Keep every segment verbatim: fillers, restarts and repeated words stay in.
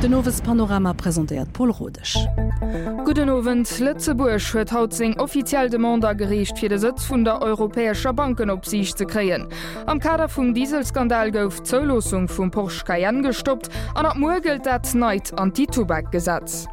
Den Owespanorama presentéiert d'Paule Rodesch. Gudden Owend. Lëtzebuerg huet haut seng offiziell Demande agereecht, fir de Sëtz vun der europäescher Bankenopsiicht ze kréien. Am Kader vum Dieselskandal gouf d'Zouloossung vum Porsche Cayenne gestoppt an ab muer gëllt dat neit Anti-Tubak-Gesetz.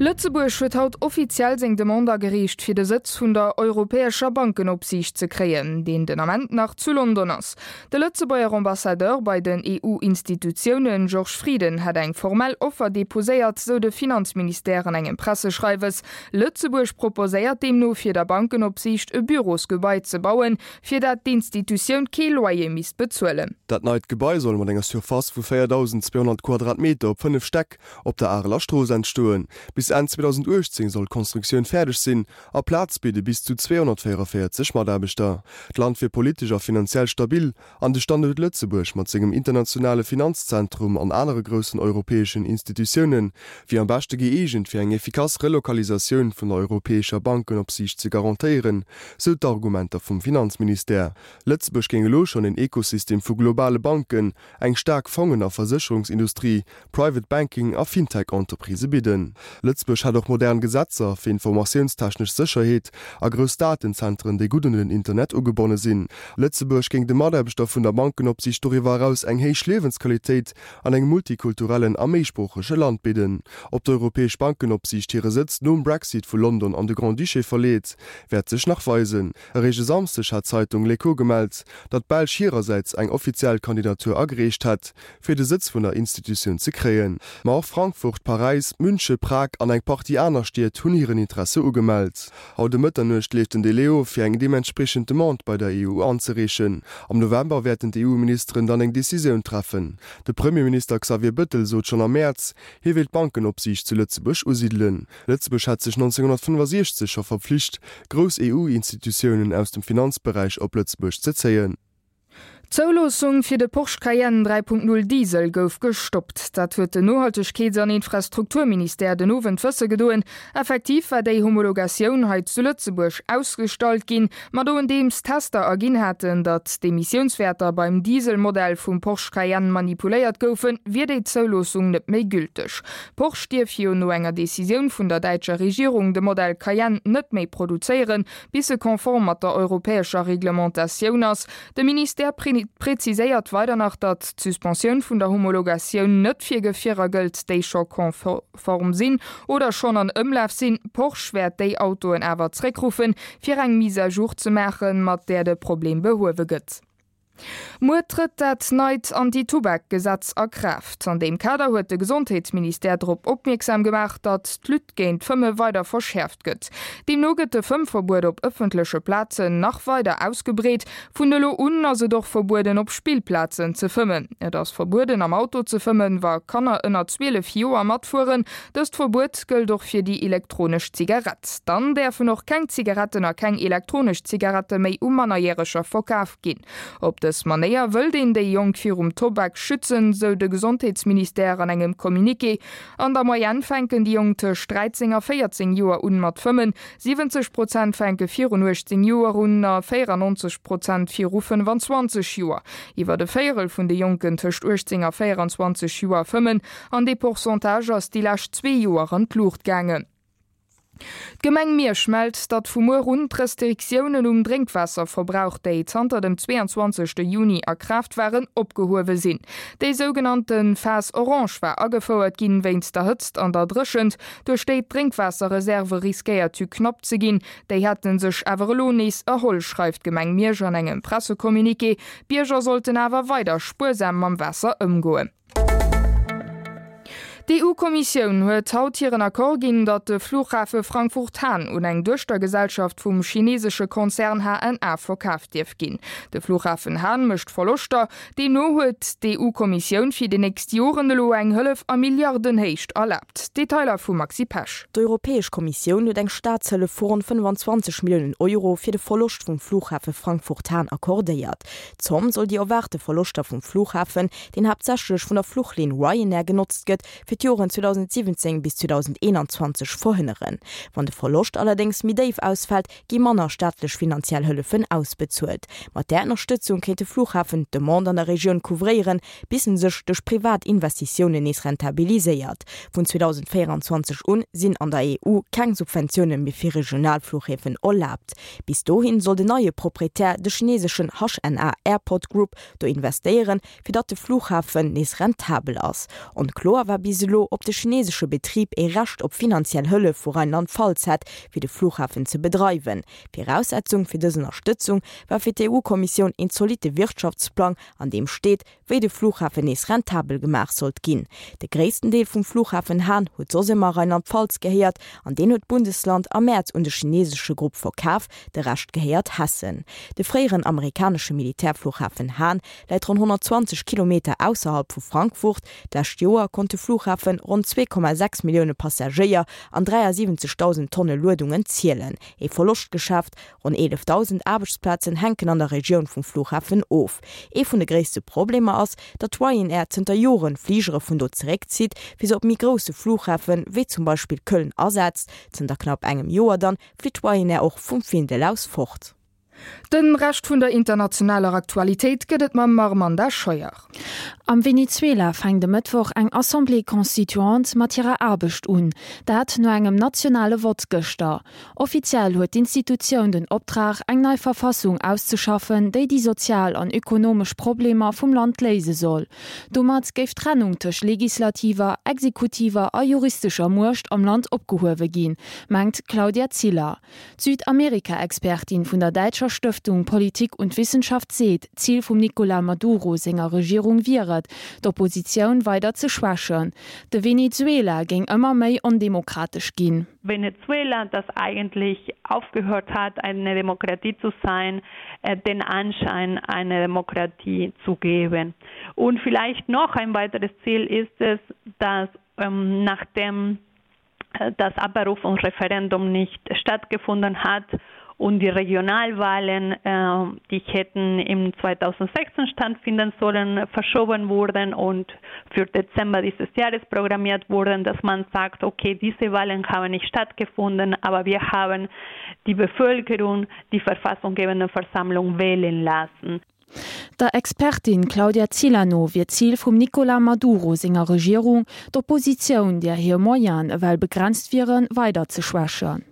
Lëtzebuerg huet haut offiziell seng Demande agereecht, fir de Sëtz vun der europäescher Bankenopsiicht ze kréien, deen den Ament nach zu London ass. De Lëtzebuerger Ambassadeur bei den E U-Institutiounen, Georges Frieden, hätt eng formell Offer deposéiert, sou de Finanzministère an engem Presseschreiwes. Lëtzebuerg proposéiert deemno, fir der Bankenopsiicht e Bürosgebai ze bauen, fir dat d'Institutioun kee Loyer misst bezuelen. Dat neit Gebai soll mat enger Surface vu véierdausenzweehonnert Quadratmeter op fënnef Stäck op der Areler Strooss entstoen. Bis Enn zweedausendachtzéng soll d'Konstruktioun fäerdeg sinn a Plaz bidde bis zu zweehonnertvéierenvéierzeg Mataarbechter. D'Land wier politesch a finanziell stabil an de Standuert Lëtzebuerg mat sengem internationale Finanzzentrum an anere groussen europäeschen Institutioune wier am beschte gëeegent fir eng effikass Relokalisatioun vun der europäescher Bankenopsiicht ze garantéieren, sou d'Argumenter vum Finanzministère. Lëtzebuerg géing elo schonn en Ekosystem vu globale Banken, eng staark Fongen a Versécherungsindustrie, Private Banking a Fintech-Entreprisë bidden. Lëtzebuerg hätt och modern Gesetzer fir informatiounstechnesch Sécherheet a grouss Datenzentren, déi gutt un den Internet ugebonne sinn. Lëtzebuerg géing de Mataarbechter vun der Bankenopsiicht doriwwer eraus eng héich Liewensqualitéit an engem multikulturellen a méisproochege Land bidden. Ob d'Europäesch Bankenopsiicht hire Sëtz nom Brexit vu London an de Grand-Duché verleet, wäert sech nach weisen. Eréischt e Samsdeg hat d'Zeitung L'Echo gemellt, datt d'Belsch hirersäits eng offiziell Kandidatur agereecht hätt, fir de Sëtz vun der Institutioun ze kréien. Ma och Frankfurt, Paräis, Münche, Prag an eng Partie aner Stied hunn hiren Interesse ugemellt. Haut ëm Mëtternuecht leeft den Delai of, fir eng deementspriechend Demande bei der E U anzereechen. Am November wäerten d'E U-Ministeren dann eng Decisioun treffen. De Premierminister Xavier Bëttel sot schonn am Mäerz, hie wéilt d'Bankenopsiicht zu Lëtzebuerg usidelen. Lëtzebuerg hat sech nonzénghonnertfënnefasechzeg scho verpflicht, grouss E U-Institutiounen aus dem Finanzberäich op Lëtzebuerg ze zéien. D'Zouloossung fir de Porsche Cayenne dräi Punkt null Diesel gouf gestoppt. Dat huet den Nohaltegkeets an Infrastrukturministère den Owend wësse gedoen. Effektiv war déi Homologatioun hei zu Lëtzebuerg ausgestallt ginn, ma nodeems Tester erginn haten, datt d'Emissiounswäerter beim Dieselmodell vum Porsche Cayenne manipuléiert goufen, wier déi Zouloossung net méi gülteg. Porsche dierf jo no enger Decisioun vun der däitscher Regierung de Modell Cayenne net méi produzéieren, bis e konform mat der europäescher Reglementatioun ass. De Ministère preziséiert weider nach, datt d'Suspensioun vun der Homologatioun net fir Gefierer gëllt, déi scho konform sinn oder schonn an Ëmlaf sinn. Porsche wäert déi Autoen awer zréckruffen, fir eng Mise à jour ze maachen, mat där de Problem behuewe gëtt. Muer trëtt dat neit Anti-Tubak-Gesetz a Kraaft. An deem Kader huet de Gesondheetsministère drop opmierksam gemaach, datt d'Lutte géint d'Fëmme weider verschäerft gëtt. Deemno gëtt de Fëmmverbuet op ëffentleche Plazen nach weider ausgebreet. Vun elo un ass et och verbueden op Spillplazen ze fëmmen. Et ass verbueden am Auto ze fëmmen, wa Kanner ënner zwielef Joer matfueren. Dëst Verbuet gëllt och fir déi elektronesch Zigarett. Dann däerfen och keng Zigaretten a keng elektronesch Zigarette méi u Mannerjäreger verkaf ginn. Op dës Manéier wëllt een déi Jonk virum Tobak schützen, sou de Gesondheetsministère an engem Communiqué. An der Moyenne fänken déi Jonk tëscht dräizéng a véierzéng Joer un mat fëmmen, siwwenzeg Prozent fänke virun uechtzéng Joer un a véierannonzeg Prozent viru fënnefanzwanzeg Joer. Iwwer e Véierel vun de Jonken tëscht uechtzéng a véieranzwanzeg Joer fëmmen, an dee Pourcentage ass déi lescht zwee Joer an d'Luucht gaangen. D'Gemeng Miersch mellt, datt vu muer un d'Restriktiounen um Drénkwaasserverbrauch, déi zanter dem zweeanzwanzegste Juni a Kraaft waren, opgehuewe sinn. Déi sougenannte Phase orange war agefouert ginn wéinst der Hëtzt an der Dréchent, duerch déi d'Drénkwaasserreserve riskéiert hu knapp ze ginn. Déi hätte sech awer elo nees erholl, schreift d'Gemeng Miersch an engem Pressecommuniqué. D'Bierger sollten awer weider spuersam mam Waasser ëmgoen. D'E U-Kommissioun huet haut hiren Accord ginn, datt de Flughafe Frankfurt-Hahn un eng Duechtergesellschaft vum chinesesche Konzern H N A verkaaft dierf ginn. De Flughafen Hahn mécht Verloschter. Deemno huet d'E U-Kommissioun fir déi nächst Joren elo eng Hëllef a Milliardenhéicht erlaabt. Detailer vum Maxi Pesch. D'Europäesch Kommissioun huet eng Staatshëllef vu ronn fënnfanzwanzeg Milliounen Euro fir de Verloscht vum Flughafe Frankfurt-Hahn accordéiert. D'Zomm soll déi erwaarte Verloschter vum Flughafen, deen haaptsächlech vun der Fluchlinn Ryanair genotzt gëtt, fir d'Joren zweedausendsiwwenzéng bis zweedausendeenanzwanzeg verhënneren. Wann de Verloscht allerdéngs méi déif ausfält, gi manner staatlech finanziell Hëllefen ausbezuelt. Mat där Ënnerstëtzung kéint de Flughafen d'Demande an der Regioun couvréieren, bis en sech duerch privat Investitiounen nees rentabiliséiert. Vun zweedausendvéieranzwanzeg un sinn an der E U keng Subventioune méi fir Regionalflughäfen erlaabt. Bis dohin soll den neie Proprietär, de chineseschen H N A Airport Group, do investéieren, fir datt de Flughafen nees rentabel ass. Onkloer war bis elo, ob de chinesesche Betrib ee Recht op finanziell Hëllef vu Rheinland-Pfalz hätt, fir de Flughafen ze bedreiwen. Viraussetzung fir dës Ënnerstëtzung war fir d'E U-Kommissioun een zolitte Wirtschaftsplang, an deem steet, wéi de Flughafen nees rentabel gemaach sollt ginn. De gréissten Deel vum Flughafen Hahn huet soss ëmmer Rheinland-Pfalz gehéiert an deen huet d'Bundesland am Mäerz un de chinesesche Grupp verkaf, de Rescht gehéiert Hessen. De fréieren amerikanesche Militärflughafen Hahn läit ronn honnertzwanzeg Kilometer ausserhalb vu Frankfurt. D'lescht Joer konnt de Flughafen ronn zwee Komma sechs Millioune Passagéier an dräiasiwwenzegdausend Tonne Luedungen zielen. Ee Verloschtgeschäft, Ronn eelefdausend Aarbechtsplazen hänken an der Regioun vum Flughafen of. Ee vun de gréisste Problemer ass, datt Ryanair zënter Joren Fligere vun do zeréckzitt, fir se op méi grousse Flughafen, wéi zum Beispill Köln, asetzt. Zënter knapp engem Joer dann flitt Ryanair och vum Findel aus fort. Den Rescht vun der internationaler Aktualitéit gëtt et mam Armanda Scheuer. Am Venezuela fänkt de Mëttwoch eng Assemblée constituante mat hirer Aarbecht un, dat no engem nationale Vott gëschter. Offiziell huet d'Institutioun den Optrag, eng nei Verfassung auszeschaffen, déi déi sozial an ökonomesch Problemer vum Land léise soll. Domat géif d'Trennung tëscht legislativer, exekutiver a juristescher Muecht am Land opgehuewe ginn, mengt d'Claudia Ziller. D'Südamerika-Expertin vun der däitscher Stëftung Politik und Wissenschaft seet, Zil vum Nicolas Maduro senger Regierung wier et, d'Oppositioun weider ze schwächen. De Venezuela géing ëmmer méi ondemokratesch ginn. Venezuela, das eigentlich aufgehört hat, eine Demokratie zu sein, den Anschein einer Demokratie zu geben. Und vielleicht noch ein weiteres Ziel ist es, dass ähm, nachdem das Abberufungsreferendum nicht stattgefunden hat und die Regionalwahlen, äh, die hätten im zweitausendsechzehn stattfinden sollen, verschoben wurden und für Dezember dieses Jahres programmiert wurden, dass man sagt, okay, diese Wahlen haben nicht stattgefunden, aber wir haben die Bevölkerung, die verfassunggebende Versammlung wählen lassen. Der Expertin Claudia Ziller no wier d'Zil vum Nicolas Maduro senger Regierung, d'Oppositioun, där hir Moyenen ewell begrenzt wieren, weider ze schwächen.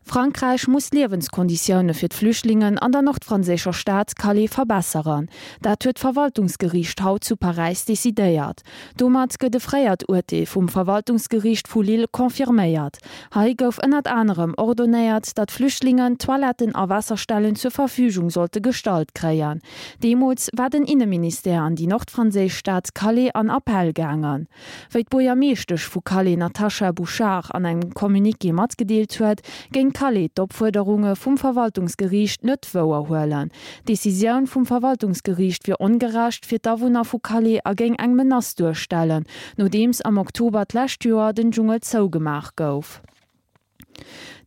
Frankräich muss d'Liewenskonditioune fir d'Flüchtlingen an der nordfranséischer Stad Calais verbesseren. Dat huet d'Verwaltungsgeriicht haut zu Paräis decidéiert. Domat gëtt e fréiert Urteel vum Verwaltungsgeriicht vu Lille confirméiert. Hei gouf ënnert anerem ordonéiert, datt Flüchtlingen Toiletten a Waasserstellen zur Verfügung sollte gestallt kréien. Deemools war den Inneministère an déi nordfranséisch Stad Calais an Appell gaangen. Wéi d'Buergermeeschtesch vu Calais Natacha Bouchart an engem Communiqué matgedeelt huet, géing Calais d'Opfuerderunge vum Verwaltungsgeriicht net wouerhuelen. D'Decisioun vum Verwaltungsgeriicht wier ongerecht fir d'Awunner vu Calais a géing eng Menace duerstellen, nodeems am Oktober d'lescht Joer den Dschungel zougemaach gouf.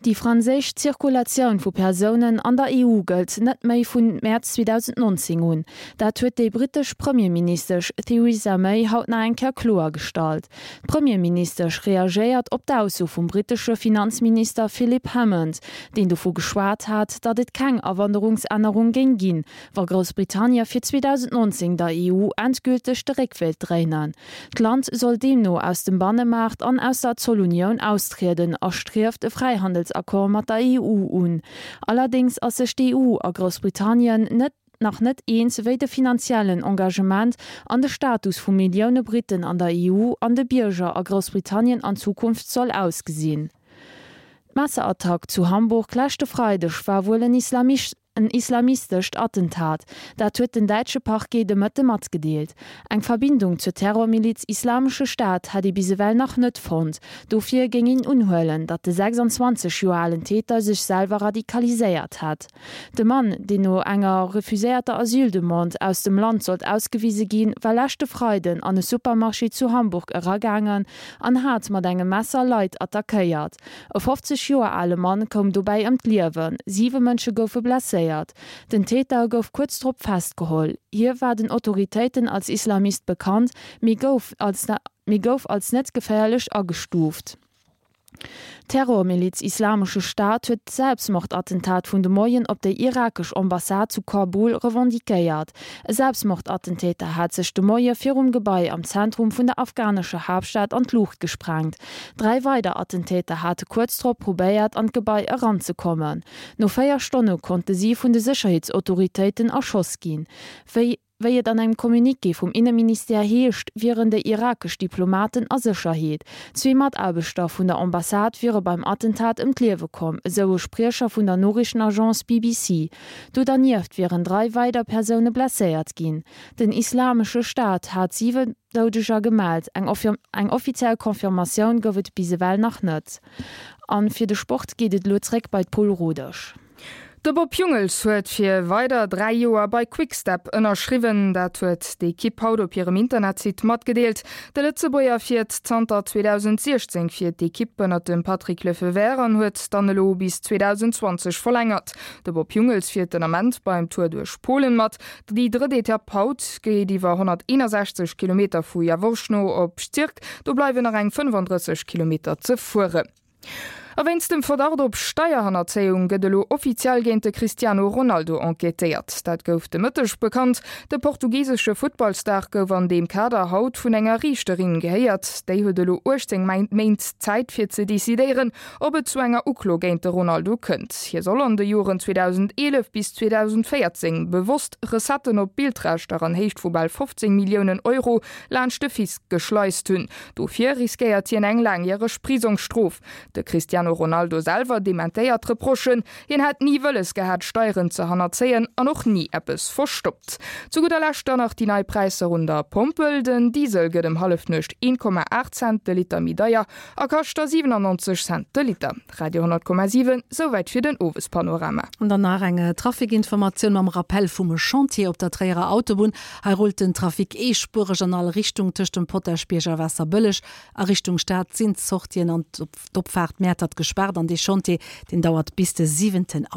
Déi franséisch Zirkulatioun vu Persounen an der E U gëllt net méi vun Mäerz zweedausendnonzéng un. Dat huet déi brittesch Premierministesch Theresa May haut nach eng Kéier kloergestallt. D'Premierministesch reagéiert op d'Ausso vum brittesche Finanzminister Philip Hammond, deen dovu geschwat hat, datt et keng Awanderungsännerung géing ginn, wa Groussbritannie fir zweedausendnonzéng der E U endgülteg de Réck wéilt dréinen. D'Land soll deemno aus dem Bannemaart an aus der Zollunioun austrieden a strieft e Fräihandelsaccord mat der E U un. Allerdéngs ass sech d'E U a Groussbritannien net nach net eens, wéi de finanziellen Engagement an de Status vu Millioune Britten an der E U an de Bierger a Groussbritannien an Zukunft soll ausgesinn. D'Messerattack zu Hamburg leschte Freideg war wuel en en islamistescht Attentat, dat huet den däitsche Parquet de Mëtte matgedeelt. Eng Verbindung zur Terrormiliz Islamesche Staat hätt ee bis ewell nach net fonnt, dofir géing een unhuelen, datt de sechsanzwanzeg Joer alen Täter sech selwer radikaliséiert hätt. De Mann, deen no enger refuséierter Asyldemande aus dem Land sollt ausgewise ginn, war leschte Freiden an e Supermarché zu Hamburg eragaangen an hat mat engem Messer Leit attackéiert. E fofzeg Joer ale Mann koum dobäi ëm d'Liewen, siwe Mënsche goufe blesséiert. blesséiert. Den Täter gouf kuerz drop festgeholl. Hie war den Autoritéiten als Islamist bekannt, mee gouf als mee gouf als net geféierlech agestuuft. D'Terrormiliz Islamesche Staat huet d'Selbstmordattentat vun de Moien op der irakesch Ambassade zu Kabul revendiquéiert. E Selbstmordattentäter hat sech de Moie virum Gebai am Zentrum vun der afghanescher Haaptstad an d'Luucht gesprengt. Dräi weider Attentäter hate kuerz drop probéiert an d'Gebai eranzekommen. No véier Stonne konnte si vun de Sécherheetsautoritéiten erschoss ginn. Wéi Wéi et an engem Communiqué vum Inneministère heescht, wieren déi irakesch Diplomaten a Sécherheet. Zwee Mataarbechter vun der Ambassade wiere beim Attentat ëm d'Liewe komm, esou e Spriecher vun der Noriichtenagence B B C. Do dernieft wieren dräi weider Persoune blesséiert ginn. Den Islamesche Staat hat siwen Doudeger gemellt, eng offiziell Confirmatioun gouf et bis ewell nach net. A fir de Sport geet et elo zréck bei d'Paul Rodesch. De Bob Jungels huet fir weider dräi Joer bei Quick-Step ënnerschriwwen. Dat huet d'Ekipp haut op hirem Internetsite matgedeelt. De Lëtzebuerger fiert zanter zweedausentsiechzéng fir d'Ekipp ënnert dem Patrick Lefevere an huet dann elo bis zweedausendzwanzeg verlängert. De Bob Jungels fiert den Ament beim Tour duerch Polen mat. Déi drëtt Etapp haut geet iwwer honnerteenasechzeg Kilometer vu Jaworzno op Szczyrk, do bleiwen nach eng fënnefandrësseg Kilometer ze fueren. A wéinst dem Verdacht op Steierhannerzéiung gëtt elo offiziell géint de Cristiano Ronaldo enquêtéiert. Dat gouf de Mëtteg bekannt. De portugisesche Futtballstar gouf an deem Kader haut vun enger Riichterin gehéiert. Déi huet elo uechtzéng Méint Zäit fir ze decidéieren, ob et zu enger Uklo géint de Ronaldo kënnt. Hie soll an de Joren zweedausenteelef bis zweedausendvéierzéng bewosst Recetten op Bildrechter an Héicht vu bal fofzéng Milliounen Euro laanscht de Fisc geschleist hunn. Dofir riskéiert hien eng laangjäreg Prisongsstrof. De Cristiano Ronaldo selwer dementéiert d'Reprochen, hien hätt ni wëlles gehat Steieren ze hannerzéien an och ni eppes verstoppt. Zu gudder Lescht dann nach déi nei Präisser un der Pompel, Den Diesel gëtt ëm Hallefnuecht een Komma aacht Cent de Liter méi deier a kascht da siwenannonzeg Cent de Liter. Radio honnert Komma siwen, Souwäit fir den Owespanorama. An dann nach eng Trafikinformatioun mam Rappell vum Chantier op der Tréierer Autobunn. Hei rullt den Trafic eespuereg an all Richtung tëscht dem Potaschbierg a Waasserbëlleg. A Richtung Stad sinn d'Sortien an d'Opfaart Mäertert gespaart an dee Chantier, deen dauert bis de siwenten.